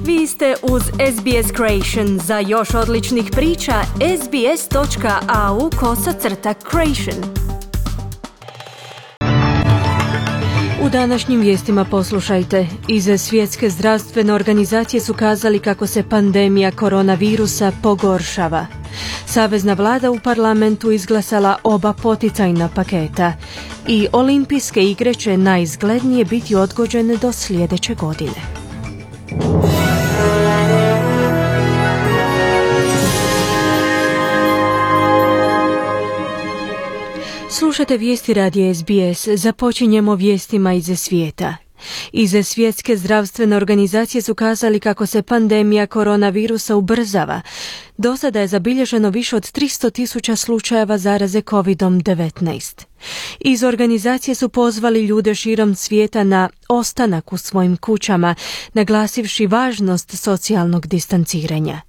Vi ste uz SBS Creation. Za još odličnih priča, sbs.au/creation. U današnjim vijestima poslušajte. Iz Svjetske zdravstvene organizacije su kazali kako se pandemija koronavirusa pogoršava. Savezna vlada u parlamentu izglasala oba poticajna paketa. I olimpijske igre će najizglednije biti odgođene do sljedeće godine. Slušate vijesti radija SBS. Započinjemo vijestima iz svijeta. Iz Svjetske zdravstvene organizacije su kazali kako se pandemija koronavirusa ubrzava. Do sada je zabilježeno više od 300,000 slučajeva zaraze COVID-19. Iz organizacije su pozvali ljude širom svijeta na ostanak u svojim kućama, naglasivši važnost socijalnog distanciranja.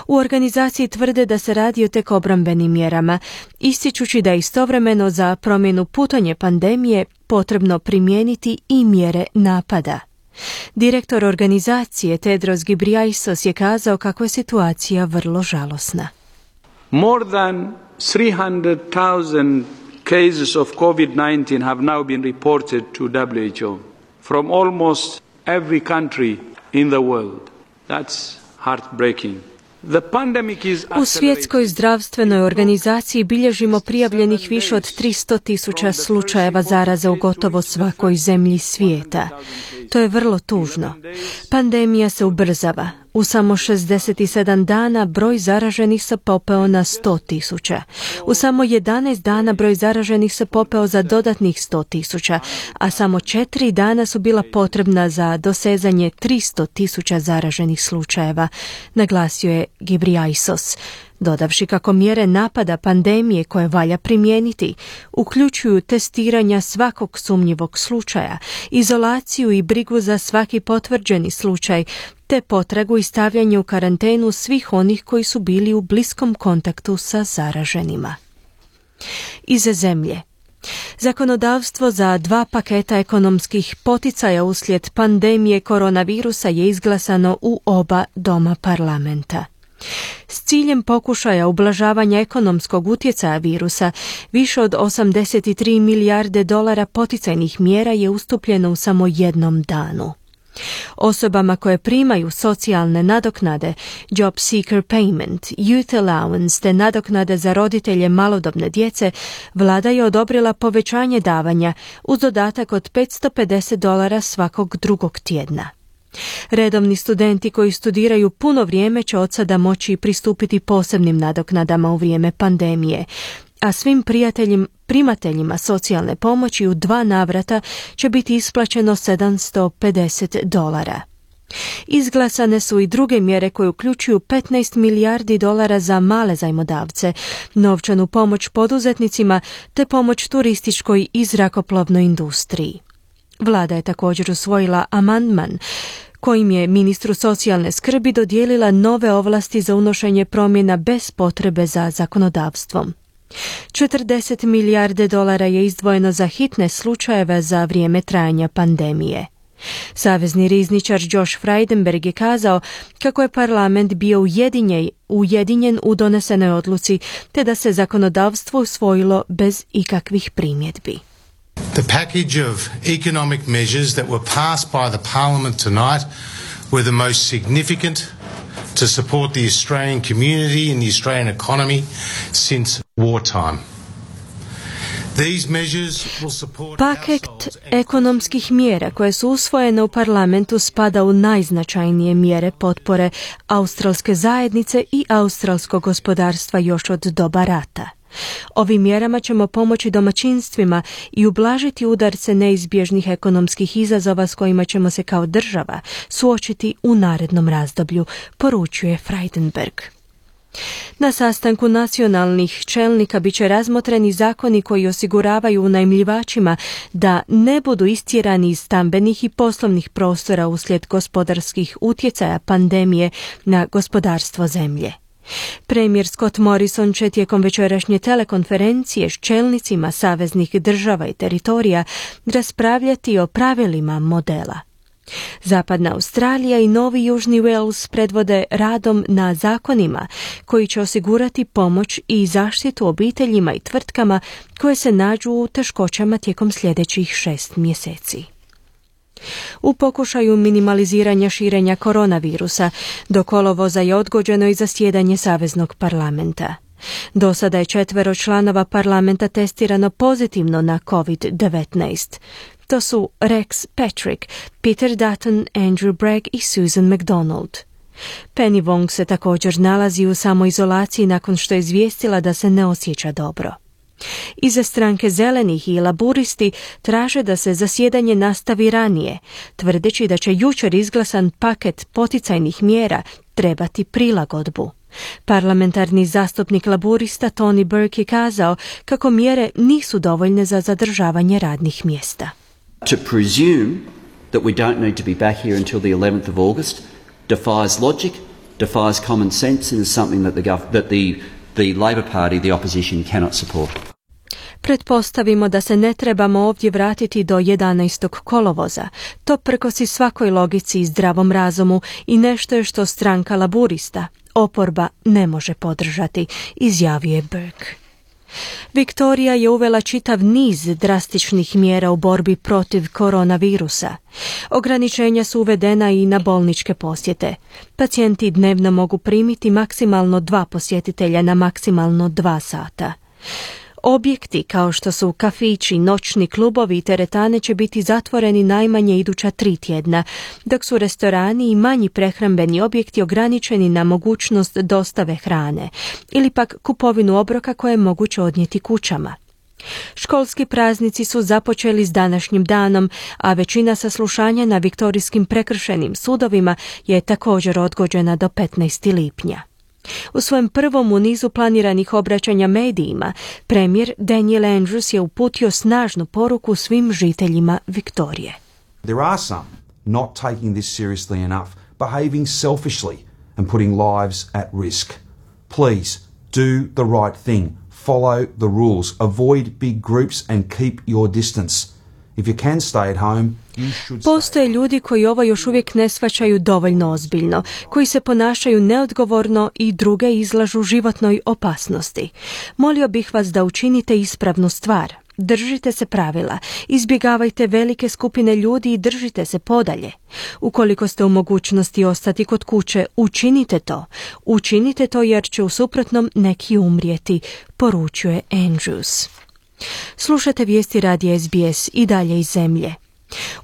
U organizaciji tvrde da se radi o tek obrambenim mjerama, ističući da je istovremeno za promjenu putanje pandemije potrebno primijeniti i mjere napada. Direktor organizacije Tedros Ghebreyesus je kazao kako je situacija vrlo žalosna. More than 300,000 cases of COVID-19 have now been reported to WHO from almost every country in the world. That's heartbreaking. U Svjetskoj zdravstvenoj organizaciji bilježimo prijavljenih više od 300,000 slučajeva zaraze u gotovo svakoj zemlji svijeta. To je vrlo tužno. Pandemija se ubrzava. U samo 67 dana broj zaraženih se popeo na 100,000. U samo 11 dana broj zaraženih se popeo za dodatnih 100,000, a samo 4 dana su bila potrebna za dosezanje 300,000 zaraženih slučajeva, naglasio je Ghebreyesus, dodavši kako mjere napada pandemije koje valja primijeniti uključuju testiranja svakog sumnjivog slučaja, izolaciju i brigu za svaki potvrđeni slučaj, te potragu i stavljanje u karantenu svih onih koji su bili u bliskom kontaktu sa zaraženima. Iz zemlje. Zakonodavstvo za 2 paketa ekonomskih poticaja uslijed pandemije koronavirusa je izglasano u oba doma parlamenta. S ciljem pokušaja ublažavanja ekonomskog utjecaja virusa, više od 83 milijarde dolara poticajnih mjera je ustupljeno u samo jednom danu. Osobama koje primaju socijalne nadoknade, Job Seeker Payment, Youth Allowance te nadoknade za roditelje malodobne djece, vlada je odobrila povećanje davanja uz dodatak od $550 svakog drugog tjedna. Redovni studenti koji studiraju puno vrijeme će od sada moći pristupiti posebnim nadoknadama u vrijeme pandemije, a svim primateljima socijalne pomoći u 2 navrata će biti isplaćeno $750. Izglasane su i druge mjere koje uključuju 15 milijardi dolara za male zajmodavce, novčanu pomoć poduzetnicima te pomoć turističkoj i zrakoplovnoj industriji. Vlada je također usvojila amandman kojim je ministru socijalne skrbi dodijelila nove ovlasti za unošenje promjena bez potrebe za zakonodavstvom. 40 milijarde dolara je izdvojeno za hitne slučajeve za vrijeme trajanja pandemije. Savezni rizničar Josh Frydenberg je kazao kako je parlament bio ujedinjen u donesenoj odluci te da se zakonodavstvo usvojilo bez ikakvih primjedbi. The package of economic measures that were passed by the Parliament tonight were the most significant to support the Australian community and the Australian economy since wartime. Paket ekonomskih mjera koje su usvojene u parlamentu spada u najznačajnije mjere potpore australske zajednice i australskog gospodarstva još od doba rata. Ovim mjerama ćemo pomoći domaćinstvima i ublažiti udarce neizbježnih ekonomskih izazova s kojima ćemo se kao država suočiti u narednom razdoblju, poručuje Frydenberg. Na sastanku nacionalnih čelnika bit će razmotreni zakoni koji osiguravaju unajmljivačima da ne budu istjerani iz stambenih i poslovnih prostora uslijed gospodarskih utjecaja pandemije na gospodarstvo zemlje. Premijer Scott Morrison će tijekom večerašnje telekonferencije s čelnicima saveznih država i teritorija raspravljati o pravilima modela. Zapadna Australija i Novi Južni Wales predvode radom na zakonima koji će osigurati pomoć i zaštitu obiteljima i tvrtkama koje se nađu u teškoćama tijekom sljedećih 6 mjeseci. U pokušaju minimaliziranja širenja koronavirusa do kolovoza je odgođeno i zasjedanje Saveznog parlamenta. Do sada je 4 članova parlamenta testirano pozitivno na COVID-19. To su Rex Patrick, Peter Dutton, Andrew Bragg i Susan MacDonald. Penny Wong se također nalazi u samoizolaciji nakon što je izvijestila da se ne osjeća dobro. Iza stranke Zelenih i Laburisti traže da se zasjedanje nastavi ranije, tvrdeći da će jučer izglasan paket poticajnih mjera trebati prilagodbu. Parlamentarni zastupnik Laburista Tony Burke je kazao kako mjere nisu dovoljne za zadržavanje radnih mjesta. To presume that we don't need to be back here until the 11th of August defies logic, defies common sense and is something that the Labor Party, the opposition, cannot support. Pretpostavimo da se ne trebamo ovdje vratiti do 11. kolovoza. To prkosi svakoj logici i zdravom razumu i nešto je što stranka Laburista, oporba, ne može podržati, izjavio je Burke. Viktorija je uvela čitav niz drastičnih mjera u borbi protiv koronavirusa. Ograničenja su uvedena i na bolničke posjete. Pacijenti dnevno mogu primiti maksimalno 2 posjetitelja na maksimalno 2 sata. Objekti kao što su kafići, noćni klubovi i teretane će biti zatvoreni najmanje iduća 3 tjedna, dok su restorani i manji prehrambeni objekti ograničeni na mogućnost dostave hrane ili pak kupovinu obroka koje je moguće odnijeti kućama. Školski praznici su započeli s današnjim danom, a većina saslušanja na viktorijskim prekršajnim sudovima je također odgođena do 15. lipnja. U svojem prvom u nizu planiranih obraćanja medijima, premijer Daniel Andrews je uputio snažnu poruku svim žiteljima Viktorije. There are some not taking this seriously enough, behaving selfishly and putting lives at risk. Please do the right thing. Follow the rules. Avoid big groups and keep your distance. If you can stay at home, you should stay. Postoje ljudi koji ovo još uvijek ne shvaćaju dovoljno ozbiljno, koji se ponašaju neodgovorno i druge izlažu životnoj opasnosti. Molio bih vas da učinite ispravnu stvar. Držite se pravila, izbjegavajte velike skupine ljudi i držite se podalje. Ukoliko ste u mogućnosti ostati kod kuće, učinite to. Učinite to jer će u suprotnom neki umrijeti, poručuje Andrews. Slušate vijesti radija SBS i dalje iz zemlje.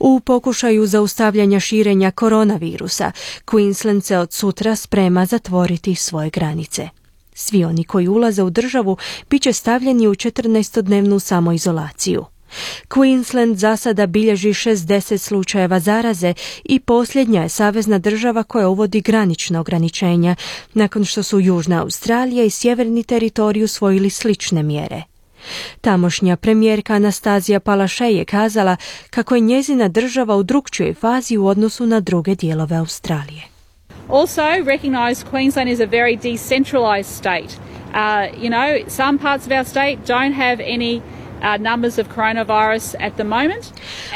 U pokušaju zaustavljanja širenja koronavirusa, Queensland se od sutra sprema zatvoriti svoje granice. Svi oni koji ulaze u državu bit će stavljeni u 14-dnevnu samoizolaciju. Queensland za sada bilježi 60 slučajeva zaraze i posljednja je savezna država koja uvodi granična ograničenja, nakon što su Južna Australija i Sjeverni teritorij usvojili slične mjere. Tamošnja premijerka Anastazija Palaszczuk je kazala kako je njezina država u drukčijoj fazi u odnosu na druge dijelove Australije. Also recognise Queensland is a very decentralised state. Some parts of our state don't have any numbers of coronavirus at the moment.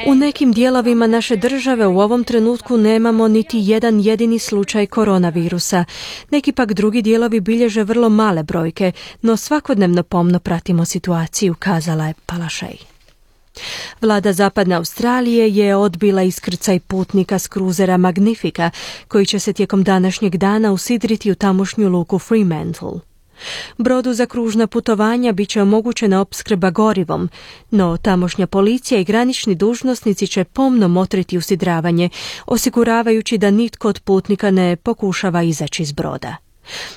U nekim dijelovima naše države u ovom trenutku nemamo niti jedan jedini slučaj koronavirusa. Neki pak drugi dijelovi bilježe vrlo male brojke, no svakodnevno pomno pratimo situaciju, kazala je Palaszczuk. Vlada Zapadne Australije je odbila iskrcaj putnika s kruzera Magnifica, koji će se tijekom današnjeg dana usidriti u tamošnju luku Fremantle. Brodu za kružna putovanja bit će omogućena opskrba gorivom, no tamošnja policija i granični dužnosnici će pomno motriti usidravanje, osiguravajući da nitko od putnika ne pokušava izaći iz broda.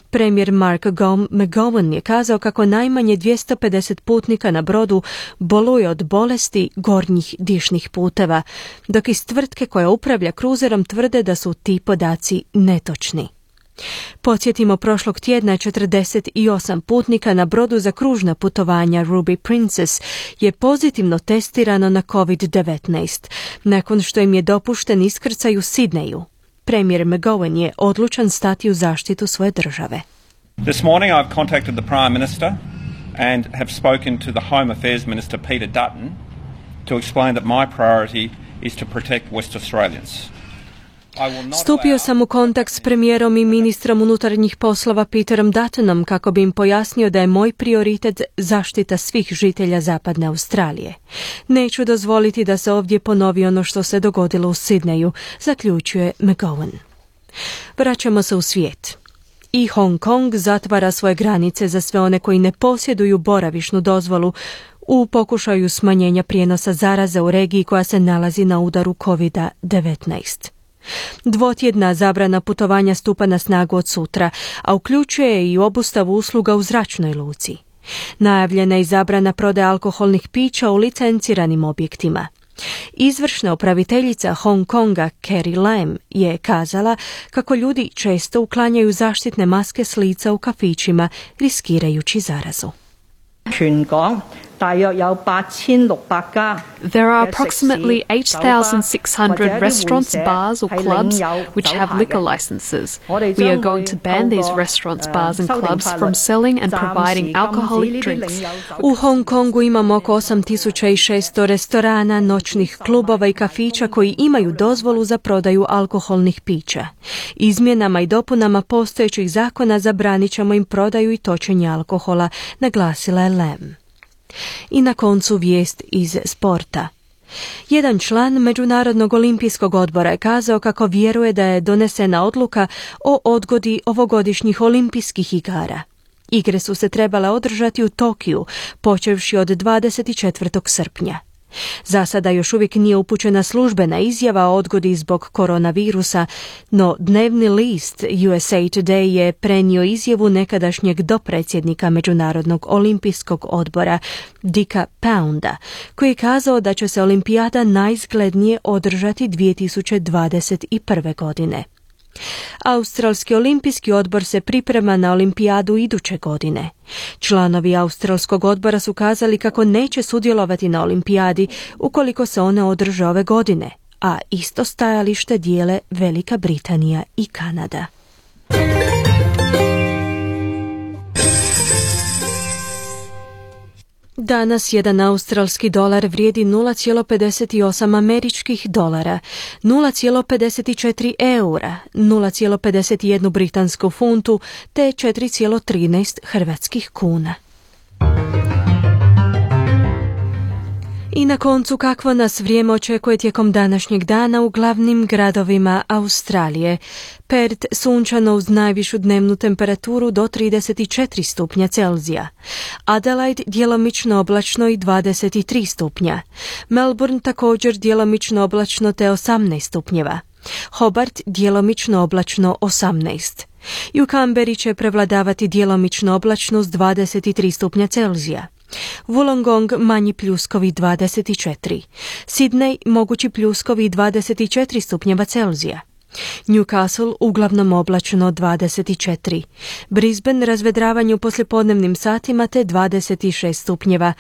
Premijer Mark McGowan je kazao kako najmanje 250 putnika na brodu boluje od bolesti gornjih dišnih puteva, dok iz tvrtke koja upravlja kruzerom tvrde da su ti podaci netočni. Podsjetimo, prošlog tjedna 48 putnika na brodu za kružna putovanja Ruby Princess je pozitivno testirano na COVID-19, nakon što im je dopušten iskrcaj u Sidneju. Premijer McGowan je odlučan stati u zaštitu svoje države. This morning I've contacted the Prime Minister and have spoken to the Home Affairs Minister Peter Dutton to explain that my priority is to protect West Australians. Stupio sam u kontakt s premijerom i ministrom unutarnjih poslova Peterom Duttonom kako bi im pojasnio da je moj prioritet zaštita svih žitelja Zapadne Australije. Neću dozvoliti da se ovdje ponovi ono što se dogodilo u Sidneju, zaključuje McGowan. Vraćamo se u svijet. I Hong Kong zatvara svoje granice za sve one koji ne posjeduju boravišnu dozvolu u pokušaju smanjenja prijenosa zaraze u regiji koja se nalazi na udaru COVID-19. Dvotjedna zabrana putovanja stupa na snagu od sutra, a uključuje i obustavu usluga u zračnoj luci. Najavljena je i zabrana prodaje alkoholnih pića u licenciranim objektima. Izvršna upraviteljica Hong Konga Carrie Lam je kazala kako ljudi često uklanjaju zaštitne maske s lica u kafićima, riskirajući zarazu. There are approximately 8,600 restaurants, bars or clubs which have liquor licenses. We are going to ban these restaurants, bars and clubs from selling and providing alcoholic drinks. U Hong Kongu imamo oko 8.600 restorana, noćnih klubova i kafića koji imaju dozvolu za prodaju alkoholnih pića. Izmjenama i dopunama postojećih zakona zabranit ćemo im prodaju i točenje alkohola, naglasila je Lam. I na koncu vijest iz sporta. Jedan član Međunarodnog olimpijskog odbora je kazao kako vjeruje da je donesena odluka o odgodi ovogodišnjih olimpijskih igara. Igre su se trebale održati u Tokiju, počevši od 24. srpnja. Za sada još uvijek nije upućena službena izjava o odgodi zbog koronavirusa, no dnevni list USA Today je prenio izjavu nekadašnjeg dopredsjednika Međunarodnog olimpijskog odbora Dicka Pounda, koji je kazao da će se olimpijada najizglednije održati 2021. godine. Australski olimpijski odbor se priprema na olimpijadu iduće godine. Članovi Australskog odbora su kazali kako neće sudjelovati na olimpijadi ukoliko se one održe ove godine, a isto stajalište dijele Velika Britanija i Kanada. Danas jedan australski dolar vrijedi 0,58 američkih dolara, 0,54 eura, 0,51 britansku funtu te 4,13 hrvatskih kuna. I na koncu kakvo nas vrijeme očekuje tijekom današnjeg dana u glavnim gradovima Australije. Perth sunčano uz najvišu dnevnu temperaturu do 34 stupnja Celzija. Adelaide djelomično oblačno i 23 stupnja. Melbourne također djelomično oblačno te 18 stupnjeva. Hobart djelomično oblačno 18. I u Canberri će prevladavati djelomično oblačno uz 23 stupnja Celzija. Wollongong manji pljuskovi 24. Sydney mogući pljuskovi 24 stupnjeva Celzija. Newcastle uglavnom oblačno 24. Brisbane razvedravanje u poslijepodnevnim satima te 26 stupnjeva.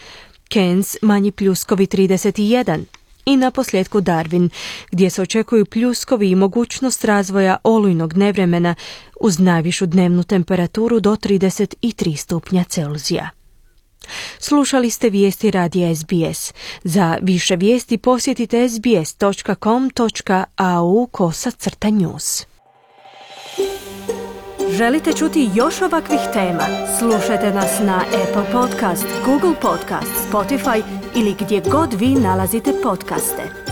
Cairns manji pljuskovi 31. I na posljedku Darwin, gdje se očekuju pljuskovi i mogućnost razvoja olujnog nevremena uz najvišu dnevnu temperaturu do 33 stupnja Celzija. Slušali ste vijesti radija SBS. Za više vijesti posjetite sbs.com.au/news. Želite čuti još ovakvih tema? Slušajte nas na Apple Podcast, Google Podcast, Spotify ili gdje god vi nalazite podcaste.